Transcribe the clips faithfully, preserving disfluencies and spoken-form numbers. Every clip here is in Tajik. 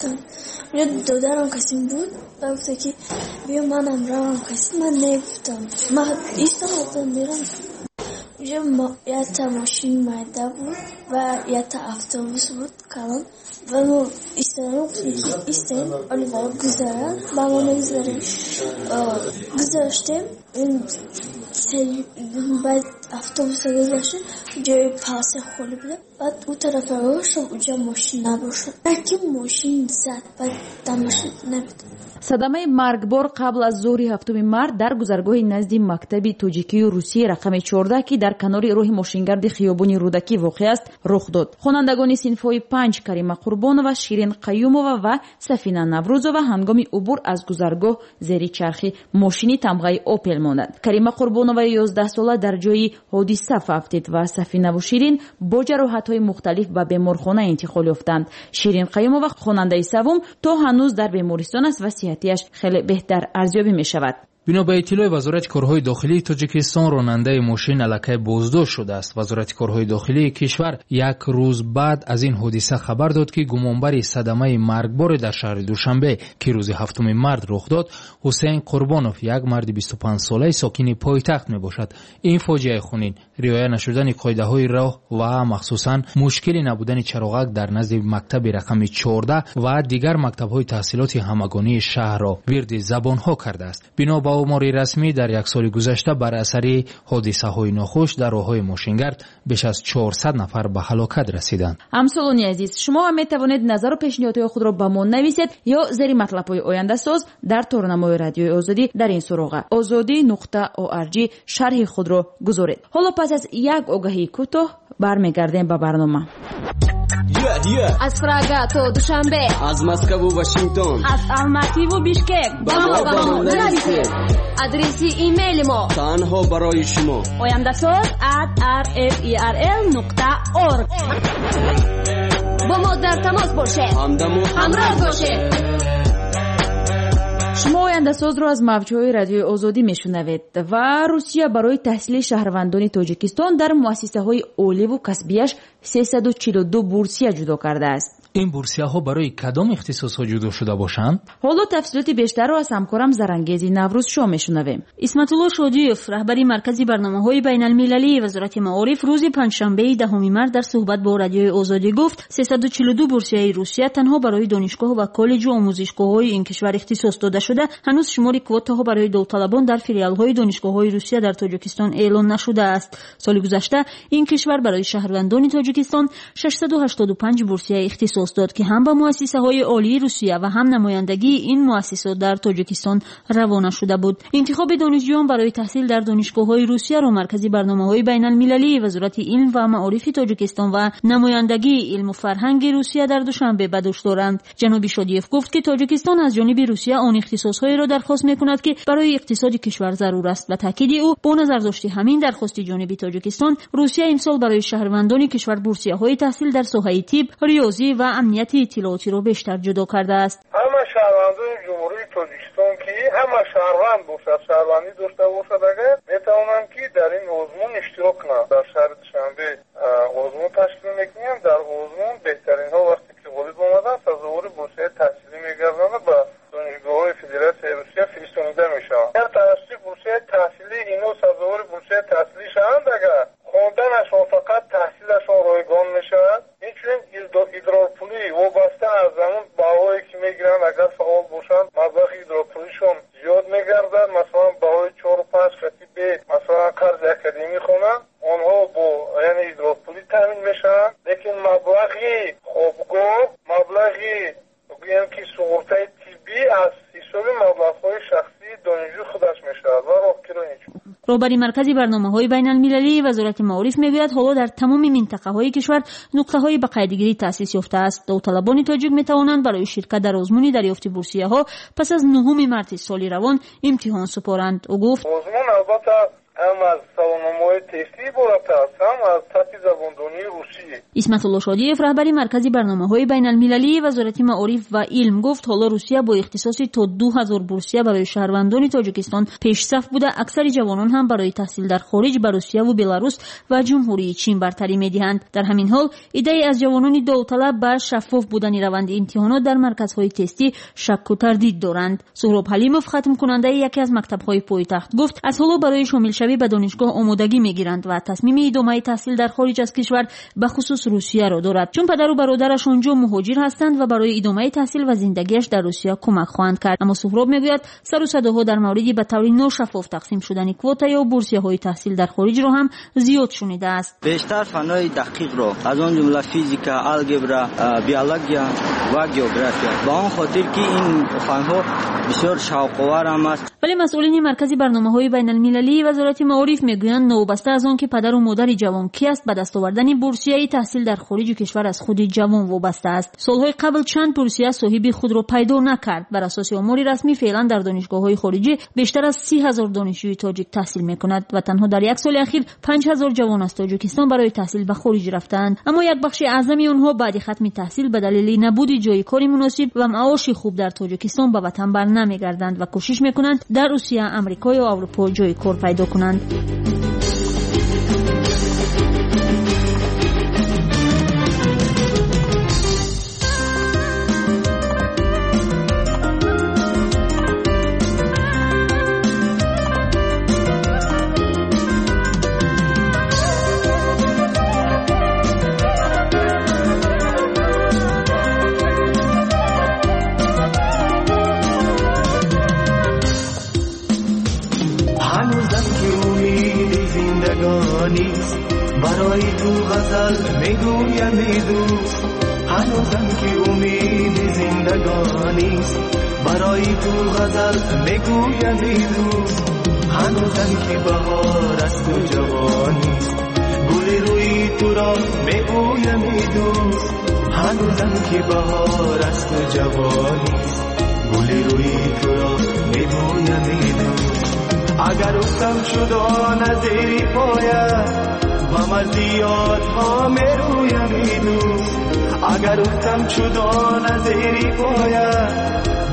Додарам касим буд, ба гуфта ки биё манам равам касим, ман негуфтам. Ман истодам мерам. Уже якта мошин майда буд ва якта автобус буд калон. Ва мо истодам, гуфтем ки истем, оли варо гузаранд, ба мо мегузарем. Гузаштем, баъд автобуса гузаштем, ҷои паласа холӣ буда. Баъд ӯ тарафа гаштам, уҷа мошин набошад. Яке мошин зад, баъд дар мошин набуд. Садамаи маргбор қабл аз зуҳри ҳафтуми март дар гузаргоҳи назди мактаби тоҷикию русии рақами чордаҳ, ки дар канори роҳи мошингарди хиёбони Рӯдакӣ воқеъ аст, рух дод. Хонандагони синфҳои панҷ Карима Қурбонова, Ширин Қаюмова ва Сафина Наврӯзова ҳангоми убур аз гузаргоҳ зери чархи мошини тамғаи Опел монданд. Карима Қурбонова ёздаҳсола дар ҷои ҳодиса фавтид ва Сафинаву Ширин бо ҷароҳатҳои мухталиф ба беморхона интиқол ёфтанд. Ширин Қаюмова хонандаи севум то ҳанӯз дар бемористон аст ва сиҳатияш хеле беҳтар арзёбӣ мешавад. Бино ба иттилои Вазорати корҳои дохилии Тоҷикистон, ронандаи мошин аллакай боздошт шудааст. Вазорати корҳои дохилии кишвар як рӯз баъд аз ин ҳодиса хабар дод, ки гумонбари садамаи маргборе дар шаҳри Душанбе, ки рӯзи ҳафтуми март рух дод, Ҳусейн Қурбонов, як марди бисту панҷсолаи сокини пойтахт мебошад. Ин фоҷиаи хунин риоя нашудани қоидаҳои роҳ ва махсусан мушкили набудани чароғак дар назди мактаби рақами чордаҳ ва дигар мактабҳои таҳсилоти ҳамагонии шаҳрро вирди забонҳо кардааст. Бино ба омори расмӣ, дар як соли гузашта бар асари ҳодисаҳои нохуш дар роҳҳои мошингард беш аз чорсад нафар ба ҳалокат расиданд. Ҳамсолони азиз, шумо ҳам метавонед назару пешниҳодҳои худро ба мо нависед ё зери матлабҳои ояндасоз дар торнамои Радиои Озодӣ дар ин суроға озодӣ нуқта орг шарҳи худро гузоред. Ҳоло пас аз як огаҳии кӯтоҳ бармегардем ба барнома. Аз Прага то Душанбе, аз Москву Вашингтон, аз Алмативу Бишкек ба мо ба мо нависед. Адреси имейли мо танҳо барои шумо ояндасоз at r f e r l нуқта org. Бо мо дар тамос бошед, ҳамдаму ҳамроҳ бошед. Шумо ояндасозро аз мавҷҳои Радиои Озодӣ мешунавед. Ва Русия барои таҳсили шаҳрвандони Тоҷикистон дар муассисаҳои оливу касбияш сесаду чилу ду бурсия ҷудо кардааст. Ин бурсияҳо барои кадом ихтисосҳо ҷудо шуда бошанд? Ҳоло тафсилоти бештарро аз ҳамкорам Зарангези Наврӯзшо мешунавем. Исматулло Шодиев, раҳбари маркази барномаҳои байналмилалии Вазорати маориф, рӯзи панҷшанбеи даҳуми март дар суҳбат бо Радиои Озодӣ гуфт, сесаду чилу ду бурсияи Русия танҳо барои донишгоҳ ва коллеҷу омӯзишгоҳҳои ин кишвар ихтисос дода шуда, ҳанӯз шумори квотаҳо барои довталабон дар филиалҳои донишгоҳҳои Русия дар Тоҷикистон эълон нашудааст. Соли гузашта ин кишвар барои шаҳрвандони Тоҷикистон шашсаду ҳаштоду панҷ бурсия ихтисос дод, ки ҳам ба муассисаҳои олии Русия ва ҳам намояндагии ин муассисот дар Тоҷикистон равона шуда буд. Интихоби донишҷӯён барои таҳсил дар донишгоҳҳои Русияро маркази барномаҳои байналмилалии Вазорати илм ва маорифи Тоҷикистон ва намояндагии илму фарҳанги Русия дар Душанбе ба дӯш доранд. Ҷаноби Шодиев гуфт, ки Тоҷикистон аз ҷониби Русия он ихтисосҳоеро дархост мекунад, ки барои иқтисоди кишвар зарур аст. Ба таъкиди ӯ, бо назардошти ҳамин дархости ҷониби Тоҷикистон, Русия имсол барои шаҳрвандони кишвар бурсияҳои таҳсил дар соҳаи тиб, риёзӣ ва амнияти иттилоотиро бештар ҷудо кардааст. Ҳама шаҳрвандони Ҷумҳурии Тоҷикистон, ки ҳама шаҳрванд бошад, шаҳрвандӣ дошта бошад, агар метавонанд, ки дар ин озмун иштирок кунанд. Дар шаҳри Душанбе озмун ташкил мекунем. Дар озмун беҳтаринҳо вақте ки ғолиб омаданд, сазовори бурсияи таҳсилӣ мегарданд ба донишгоҳҳои Федератсияи Русия фиристонида мешаванд. Агар тавассути бурсияи таҳсилӣ инҳо сазовори бурсияи таҳсилӣ шаванд, агар хонданашон фақат таҳсилашон ройгон мешавад. Инчунин идрорпулӣ вобаста аз ҳамон баҳое ки мегиранд, агар фаъол бошанд, маблағи идрорпулишон зиёд мегардад. Масалан, баҳои чору панҷ хати бе, масалан, қарзи академӣ хонанд, онҳо бо яъне идрорпулӣ таъмин мешаванд, лекин маблағи хобгоҳ, маблағи гӯем ки суғуртаи тиббӣ аз ҳисоби маблағҳои шахсии донишҷӯ худаш мешавад ва роҳкиро инчунин. Роҳбари маркази барномаҳои байналмилалии Вазорати маориф мегӯяд, ҳоло дар тамоми минтақаҳои кишвар нуқтаҳои ба қайдгирӣ таъсис ёфтааст. Довталабони тоҷик метавонанд барои ширкат дар озмуни дарёфти бурсияҳо пас аз нуҳуми марти соли равон имтиҳон супоранд. Ӯ гуфт: озмун албатта Ҳам аз саволномаҳои тестӣ иборат аст, ҳам аз сатҳи забондонии русӣ. Исматулло Шодиев, раҳбари маркази барномаҳои байналмилалии Вазорати маориф ва илм, гуфт ҳоло Русия бо ихтисоси то ду ҳазор бурсия барои шаҳрвандони Тоҷикистон пешсаф буда, аксари ҷавонон ҳам барои таҳсил дар хориҷ ба Русияву Беларус ва Ҷумҳурии Чин бартарӣ медиҳанд. Дар ҳамин ҳол иддаи аз ҷавонони довталаб ба шаффоф будани раванди имтиҳонот дар марказҳои тестӣ шакку тардид доранд. Суҳроб Ҳалимов, хатмкунандаи яке аз мактабҳои пойтахт, гуфт аз ҳоло барои шомилшавӣ ба донишгоҳ омодагӣ мегиранд ва тасмими идомаи таҳсил дар хориҷ аз кишвар ба хусус Русияро дорад, чун падару бародараш онҷо муҳоҷир ҳастанд ва барои идомаи таҳсил ва зиндагиаш дар Русия кӯмак хоҳанд кард. Аммо Суҳроб мегӯяд сару садоҳо дар мавриди ба таври ношаффоф тақсим шудани квота ё бурсияҳои таҳсил дар хориҷро ҳам зиёд шунидааст. Бештар фанҳои дақиқро, аз он ҷумла физика, алгебра, биология ва география, ба он хотир ки ин фанҳо бисёр шавқовар ҳам аст. Вале масъулини маркази барномаҳои байналмилалии Вазорати маориф мегӯянд новобаста аз он ки падару модари ҷавон ки аст, ба даст овардани бурсияи таҳсил дар хориҷи кишвар аз худи ҷавон вобаста аст. Солҳои қабл чанд бурсия соҳиби худро пайдо накард. Бар асоси омори расмӣ феълан дар донишгоҳҳои хориҷӣ бештар аз си ҳазор донишҷӯи тоҷик таҳсил мекунад ва танҳо дар як соли ахир панҷ ҳазор ҷавон аз Тоҷикистон барои таҳсил ба хориҷ рафтаанд. Аммо як бахши аъзами онҳо баъди хатми таҳсил ба далели набуди ҷои кори муносиб ва маоши хуб дар Тоҷикистон ба ватан бар намегарданд ва кӯшиш мекунанд дар Русия, Амрико ё Аврупо ҷои кор пайдо кунанд. برای تو غزل میگویم ای دوست، هنوزم که امید زندگانیست. برای تو غزل میگویم ای دوست، هنوزم که بهار است و جوانیست. گل روی تو را میگویم ای دوست، هنوزم که بهار است و جوانیست. گل روی تو را میگویم ای دوست، اگر افتم شدان از زیر پایت غم از یادها میرویم ای دوست. اگر افتم شدان از زیر پایت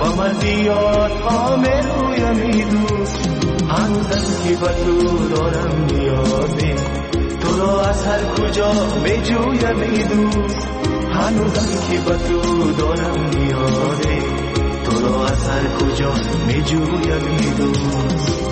غم از یادها میرویم ای دوست. هنوزم که به تو دارم نیازی، تو را از هر کجا میجویم ای دوست. هنوزم که به تو دارم نیازی، تو را از هر کجا میجویم ای دوست.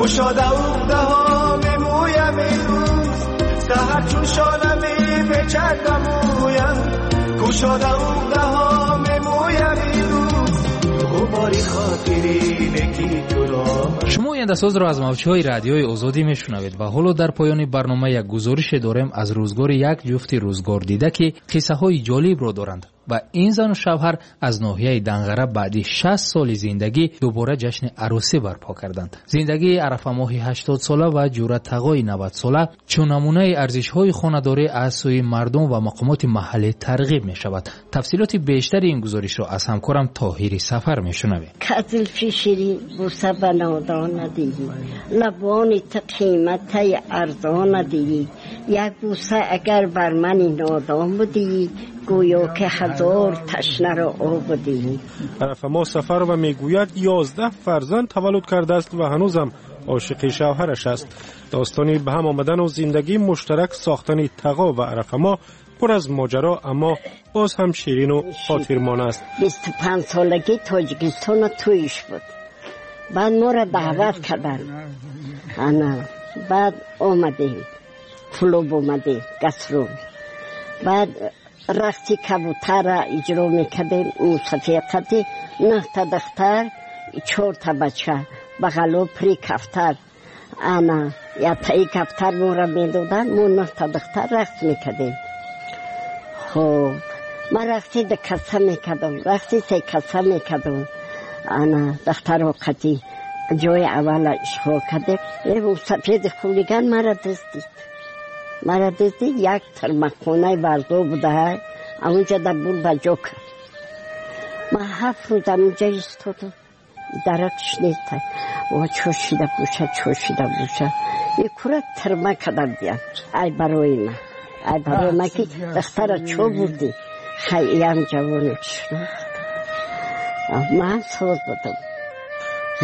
گشاده عقده‌ها می‌مویم ای دوست، سحر چون شانه می‌پیچد به مویم. گشاده عقده‌ها می‌مویم ای دوست، غباری خاطری نکی تو را. Шумо ояндасозро аз мавҷҳои радиои Озодӣ мешунавед ва ҳоло дар поёни барнома як гузорише дорем аз рӯзгори як ҷуфти рӯзгордида, ки қиссаҳои ҷолибро доранд ва ин зану шавҳар аз ноҳияи Данғара баъди шаст соли зиндагӣ дубора ҷашни арӯсӣ барпо карданд. Зиндагии арафамоҳи ҳаштодсола ва ҷӯратағои навадсола чун намунаи арзишҳои хонадорӣ аз сӯи мардум ва мақомоти маҳаллӣ тарғиб мешавад. Тафсилоти бештари ин гузоришро аз ҳамкорам Тоҳири Сафар мешунавем. Зулфи ширин бӯса ба нодон надиҳӣ, лабони ту қиматаи арзон надиҳӣ. Як бӯса агар бар мани нодон будӣ, гӯё ки ҳазор ташнаро об будӣ. Арафамо Сафарова мегӯяд ёздаҳ фарзанд таваллуд кардааст ва ҳанӯзам ошиқи шавҳараш аст. Достони ба ҳам омадану зиндагии муштарак сохтани Тағо ва Арафамо пур аз моҷаро, аммо боз ҳам ширину хотирмон аст. бисту панҷ солагӣ Тоҷикистона тӯйиш буд. Баъд моро даъват карданд. Ана баъд омадем, клуб омадем, гастрол. Баъд рақси кабутарра иҷро мекардем, мусафиқати нӯҳта духтар, чорта бача, бағало пури кафтар. Ана яктаи кафтар моро медоданд, мо нӯҳта духтар рақс мекардем. Хоб Ман рақси ду каса мекардам, рақси се каса мекардам. Ана духтаро қатӣ ҷои аввала ишғол кардем. Сафеди хулиган мара дуздид. Мара дуздид, як тармақхонаи варзо будаҳай, амунҷа дар бур ба ҷо кард. Ман ҳафт рӯз амунҷа истодам. Даракш нест. О, чо шида боша, чо шида боша. Икура тирма када биям. Ай барои ман. Ай барои ман ки духтара чо бурдӣ? Хай иям ҷавоне шинохт. Ман соз будам.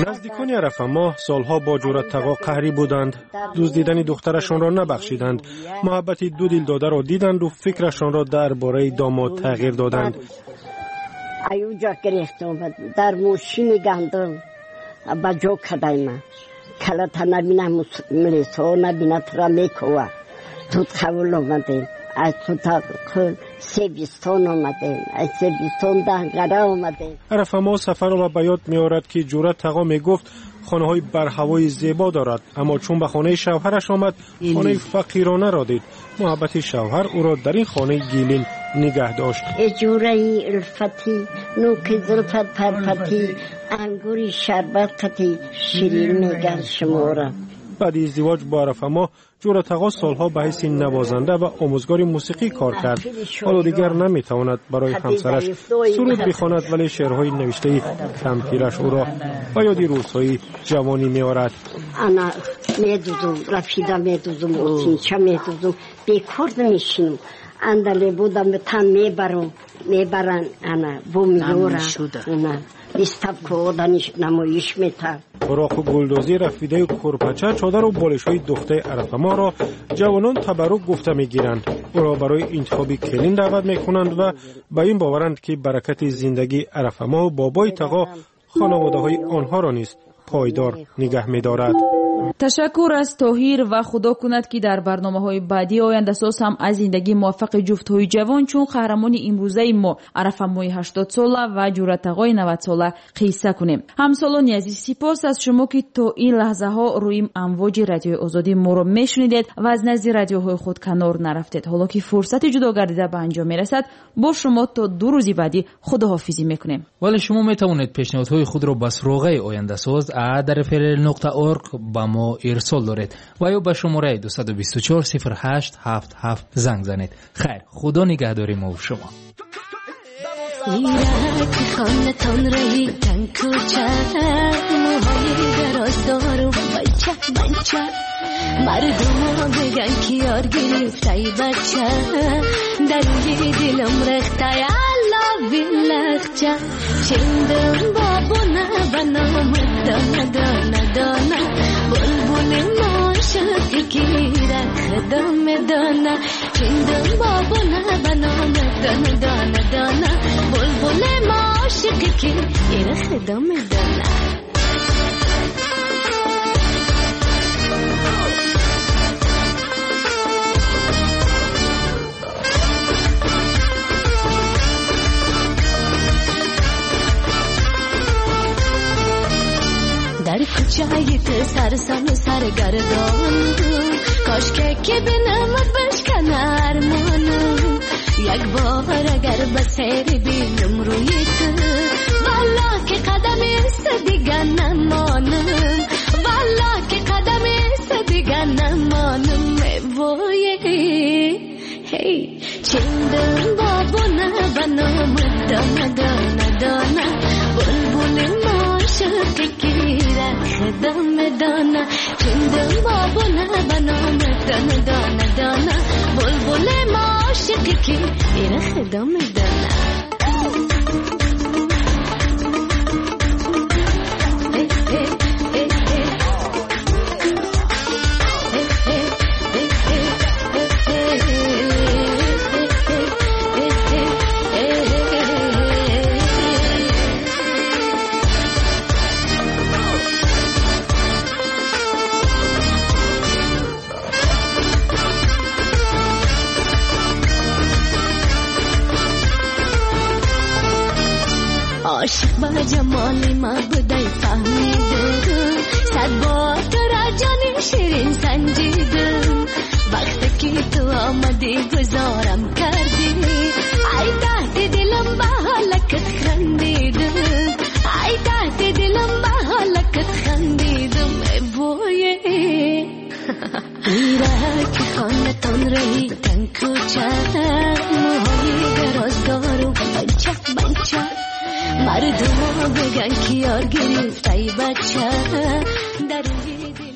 Наздикони Арафамоҳ солҳо бо Ҷӯратағо қаҳрӣ буданд. Дуздидани духтарашонро набахшиданд. Муҳаббати ду дилдодаро диданду фикрашонро дар бораи домод тағйир доданд. Аюҷа гирифта омад, дар мошини гандум ба ҷо кадай ман. Калата набина, милисҳо набина, тура мекова. Тут қабул омадем. Аз Тутақул Себистон омадем. Аз Себистон Данғара омадем. Арафамоҳ Сафарова ба ёд меорад, ки Ҷӯратағо мегуфт хонаҳои барҳавои зебо дорад, аммо чун ба хонаи шавҳараш омад, хонаи фақиронаро дид. Муҳаббати шавҳар ӯро дар ин хонаи гилин нигаҳ дошт. Эҷураи улфатӣ, нӯки зулфат парпатӣ, ангури шарбат қатӣ, ширин мегар шумора. Баъди издивоҷ бо Арафамоҳ, Ҷӯратағо солҳо ба ҳайси навозанда ва омӯзгори мусиқӣ кор кард. Ҳоло дигар наметавонад барои ҳамсараш суруд бихонад, вале шеърҳои навиштаи кампираш ӯро ба ёди рӯзҳои ҷавонӣ меорад. Ана медузум, рафида медузум, осинча медузум, бекор намешинам. Андале будам, тан мебарам, мебаран, ана бу меёрам, ана выставка намоиш метам. Хуроку гулдозӣ, рафидаю курпача, чодару болишҳои духтаи Арафамоҳро ҷавонон табаррук гуфта мегиранд. Ӯро барои интихоби келин даъват мекунанд ва ба ин боваранд, ки баракати зиндагии Арафамоҳу бобои Тағо хонаводаҳои онҳоро низ пойдор нигаҳ медорад. Ташаккур аз Тоҳир ва худо кунад, ки дар барномаҳои баъдии ояндасоз ҳам аз зиндагии муваффақи ҷуфтҳои ҷавон чун қаҳрамони имрӯзаи мо Арафамои ҳаштодсола ва Ҷӯратағои навадсола қисса кунем. Ҳамсолони азиз, сипос аз шумо, ки то ин лаҳзаҳо рӯи амвоҷи радиои Озодӣ моро мешунидед ва аз назди радиоҳои худ канор нарафтед. Ҳоло ки фурсати ҷудо гардида ба анҷом мерасад, бо шумо то ду рӯзи баъдӣ худоҳофизӣ мекунем. Вале шумо метавонед пешниҳодҳои худро ба суроғаи ояндасоз а дар фрл нуқта орг ба мо ирсол доред ва ё ба шумораи дусаду бисту чор сифр ҳашт ҳафт ҳафт занг занед. Хайр, худо нигаҳдори мо ва шумо. خانتان رهی تن کوچه موهای دراز دارم بچه بچه مردم بگن که یار گرفته ای بچه در روی دلم رخته علاوی لخچه چندم بابونه بنام دانه دانه دانه بلبل معاشقی که رخ دانه چندم بابونه بنام دانه دانه دانه بلبل معاشقی که رخ دانه. در کوچه تو سرسان و سرگردان کاش که که بینمت بشکن ارمانم یک بار اگر به سر بینم روی تو والا که قدم است دیگه نمانم والا که قدم است دیگه نمانم وای هی چندم بابونه بنام دانه دانه دانه بلبل معاشقی که خدام دانه چندم بابونه بنام دانه دانه دانه بلبل معاشقی که خدام دانه. عاشق با جمال ما بودای فهمیدم صد بار تو را جان شیرین سنجیدم وقتی که تو آمدی گذارم کردی ای تحت Мира ки хонатон раҳи танкӯча, мӯҳои дароз дорум банча банча, мардумо биган ки ёр гирифтай бача дар рӯи.